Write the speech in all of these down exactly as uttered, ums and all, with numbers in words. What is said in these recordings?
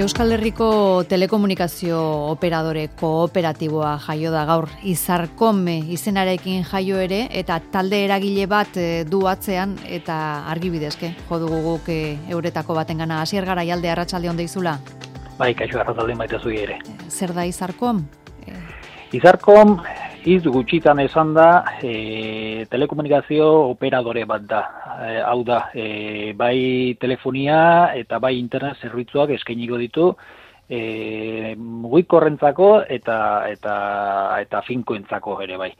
Euskal Herriko telekomunikazio operadore kooperatiboa jaio da gaur, Izarkom izenarekin jaio ere, eta talde eragile bat du atzean, eta argibidezke, jo dugu guk euretako batengana. Asier Garaialde, arratsalde on deizula. Bai, kaixo arratsalde maite zui ere. Zer da Izarkom? Izarkom, iz gutxitan esan da, e, telekomunikazio operadore bat da. E, hau da, e, bai telefonia eta bai internet zerbitzuak eskainiko ditu, e, mugikorrentzako eta eta eta finkoentzako ere bai.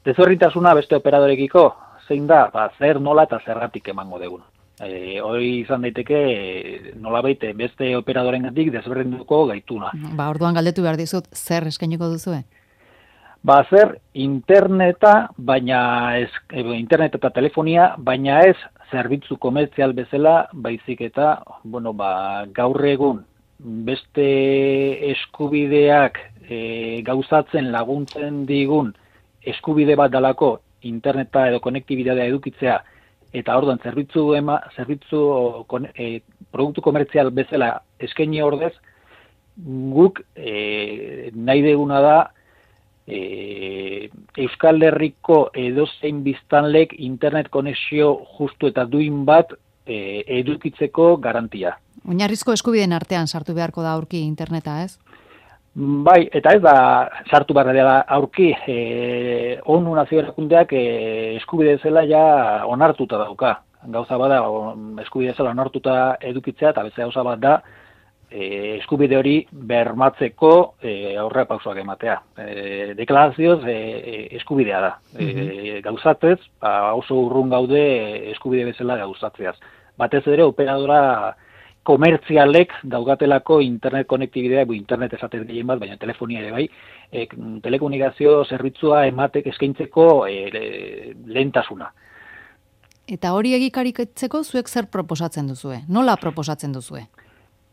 Desberdintasuna beste operadorekiko zein da, ba, zer, nola eta zergatik emango dugun. E, hori izan daiteke e, nolabait beste operadorengatik desberdinduko gaituna. Ba, orduan galdetu behar dizut, zer eskainiko duzue? Ba, zer interneta, baina ez, internet eta telefonia, baina ez zerbitzu komertzial bezala, baizik eta, bueno, ba, gaur egun beste eskubideak e, gauzatzen laguntzen digun eskubide bat dalako interneta edo konektibitatea edukitzea, eta orduan zerbitzu ema, zerbitzu e, produktu komertzial bezala eskaini ordez, guk e, nahi deguna da e, Euskal Herriko edozein biztanlek internet konexio justu eta duin bat e, edukitzeko garantia. Oinarrizko eskubideen artean sartu beharko da aurki interneta, ez? Bai, eta ez da sartu behar dela aurki, e, ONU nazio erakundeak e, eskubide zela ja onartuta dauka. Gauza bada eskubide zela onartuta edukitzea, eta beste gauza bat da e, eskubide hori bermatzeko e, aurrera pausoak ematea. E, deklarazioz e, eskubidea da. E, gauzatez, ba, oso urrun gaude eskubide bezala gauzatzeaz. Batez ere operadora komertzialek daugatelako internet konektibidea, internet esatez gehien bat, baina telefonia ere bai, e, telekomunikazio zerbitzua ematek eskaintzeko e, lehentasuna. Eta hori egikaritzeko zuek zer proposatzen duzue? Nola proposatzen duzue?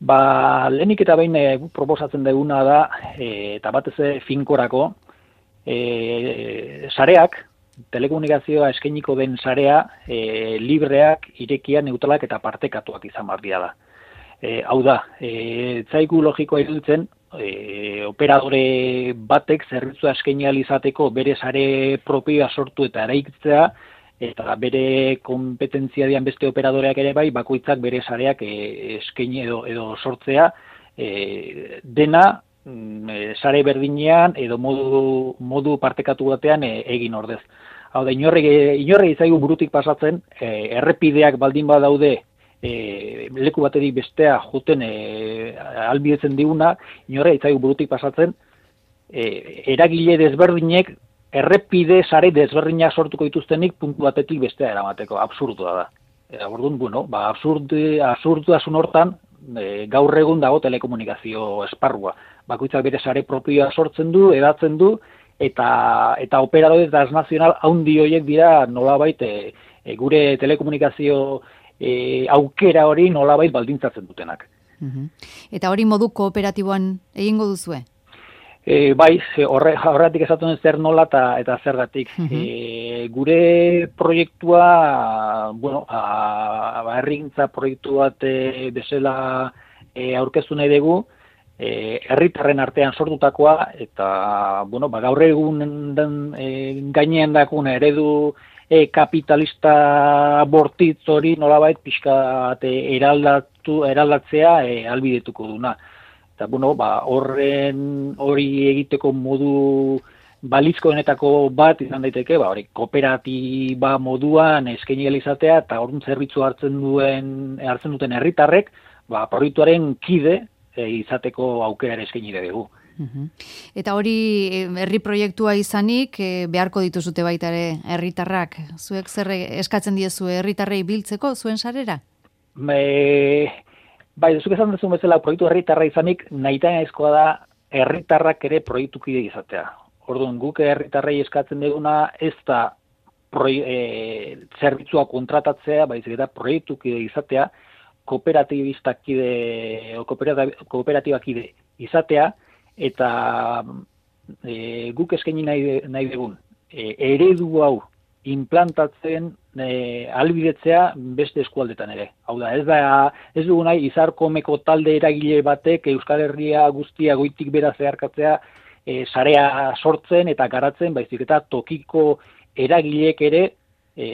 Ba, lehenik eta behin e, proposatzen duguna da, e, eta batez finkorako, e, sareak, telekomunikazioa eskainiko den sarea, e, libreak, irekia, neutralak eta partekatuak izan barria da. E, hau da, e, zaigu logikoa iruditzen, e, operadore batek zerbitzua eskaini ahal izateko bere sare propioa sortu eta eraikitzea, eta bere kompetentzia dian beste operadoreak ere bai, bakoitzak bere sareak e, eskaini edo, edo sortzea, e, dena e, sare berdinean edo modu, modu partekatu batean e, egin ordez. Hau da, inorri, inorri zaigu burutik pasatzen, e, errepideak baldin badaude, E, leku baterik bestea juten e, albidetzen diguna, inorre itzaigu burutik pasatzen, e, eragile desberdinek errepide sare desberdinak sortuko dituztenik puntu batetik bestea eramateko, absurdua da. E, orduan, bueno, ba, absurdi, absurdasun hortan e, gaur egun dago telekomunikazio esparrua. Bakoitzak bere sare propioa sortzen du, edatzen du, eta eta operadore transnazional haundi horiek dira nolabait e, e, gure telekomunikazio E, aukera hori nolabait baldintzatzen dutenak. Uh-huh. Eta hori modu kooperatiboan egingo duzue? E, bai, horre, horretik esaten zer nola eta, eta zergatik. Uh-huh. E, gure proiektua, bueno, herrigintza proiektu bat e, bezala e, aurkeztu nahi dugu, e, herritarren artean sortutakoa, eta bueno, ba, gaur egun den, e, gainean dakun eredu E, kapitalista bortitz hori nolabait pixka eraldatu, eraldatzea e, albidetuko duna. Eta bueno, ba, horren hori egiteko modu balizkoenetako bat izan daiteke, ba, hori kooperatiba moduan eskaini ahal izatea eta orduan zerbitzu hartzen duen hartzen duten herritarrek, ba, proiektuaren kide e, izateko aukera eskaini dugu. Uhum. Eta hori herri proiektua izanik e, beharko dituzute baita ere herritarrak. Zuek zer eskatzen diezue herritarrei biltzeko zuen sarera? E, bai, zuk esan duzun bezala proiektu herritarra izanik nahitaezkoa da herritarrak ere proiektukide izatea. Orduan guk herritarrei eskatzen duguna ez da proi, e, zerbitzua kontratatzea, baizik eta proiektukide izatea, kooperatibistakide o kooperatibakide izatea, eta e, guk eskaini nahi, nahi dugun e, eredu hau implantatzen e, albidetzea beste eskualdetan ere. Hau da, ez da, ez dugu nahi Izarkomeko talde eragile batek Euskal Herria guztia goitik bera zeharkatzea e, sarea sortzen eta garatzen, baizik eta tokiko eragileek ere e,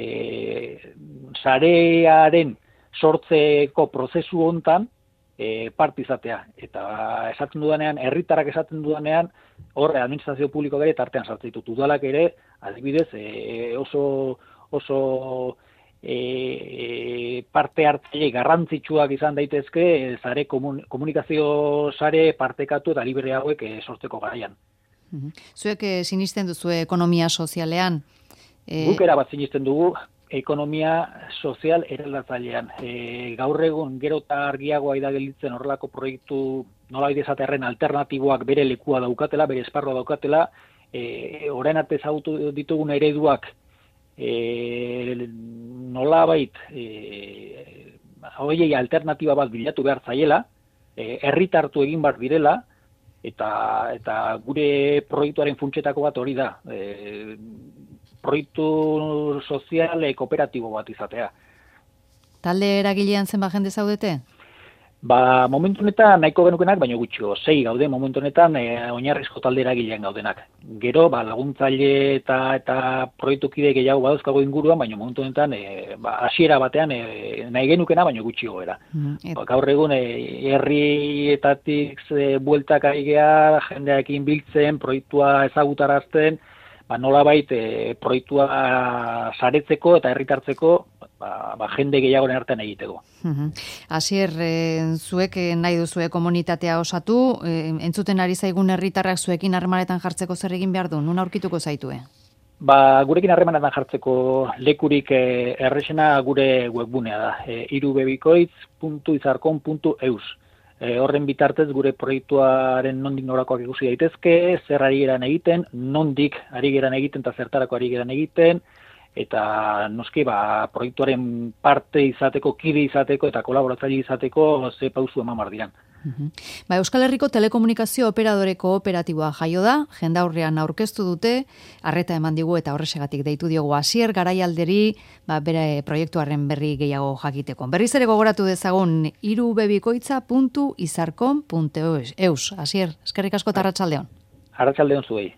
sarearen sortzeko prozesu hontan e, parte izatea. Eta esaten dudanean, herritarrak esaten dudanean, hor administrazio publikoak ere tartean sartzen ditut. Udalak ere, adibidez, e, oso oso e, parte hartzaile garrantzitsuak izan daitezke sare komun, komunikazio sare partekatu eta libre hauek e, sortzeko garaian. Zuek e, sinisten duzu ekonomia sozialean? E... Guk erabat sinisten dugu ekonomia sozial eraldatzailean. E, gaur egun gero eta argiagoa da gelditzen horrelako proiektu nolabait esatearren alternatiboak bere lekua daukatela, bere esparrua daukatela, e, orain arte ezagutu ditugun ereduak E, nolabait e, horiei alternatiba bat bilatu behar zaiela, e, herritartu egin behar direla, eta, eta gure proiektuaren funtsetako bat hori da, e, proiektu sozial e, kooperatibo bat izatea. Talde eragilean zenbat jende zaudete? Ba, momentu honetan nahiko genukenak, baina gutxio, sei gaude momentu honetan e, oinarrizko talde eragilean gaudenak. Gero, ba, laguntzaile eta eta proiektukide gehiago badauzkago inguruan, baina momentu honetan e, ba, hasiera batean e, nahi genukena, baina gutxio era. Mm, ba, gaur egun, e, herrietatik e, bueltak ari geha, jendearekin biltzen, proiektua ezagutarazten, ba, nolabait e, proiektua saretzeko eta herritartzeko ba, ba, jende gehiagoren artean egiteko. Asier, e, zuek nahi duzue komunitatea osatu, e, entzuten ari zaigun herritarrak zuekin harremanetan jartzeko zer egin behar du, nun aurkituko zaitue? Ba, gurekin harremanetan jartzeko lekurik e, errexena gure webgunea da, e, irubebikoitz puntu izarkon puntu eus. E, horren bitartez gure proiektuaren nondik norakoak ikusi daitezke, zer ari geran egiten, nondik ari geran egiten eta zertarako ari geran egiten, eta noski ba, proiektuaren parte izateko, kide izateko eta kolaboratzaile izateko ze pausu eman behar diran. Uh-huh. Ba, Euskal Herriko telekomunikazio operadore kooperatiboa jaio da, jendaurrean aurkeztu dute, arreta eman digu eta horrexegatik deitu diogu Asier Garaialderi, ba, bere proiektuaren berri gehiago jakiteko. Berriz ere gogoratu dezagun irubebikoitza puntu izarkon puntu eus. Asier, eskerrik asko eta arratsaldeon. Arratsaldeon zuei.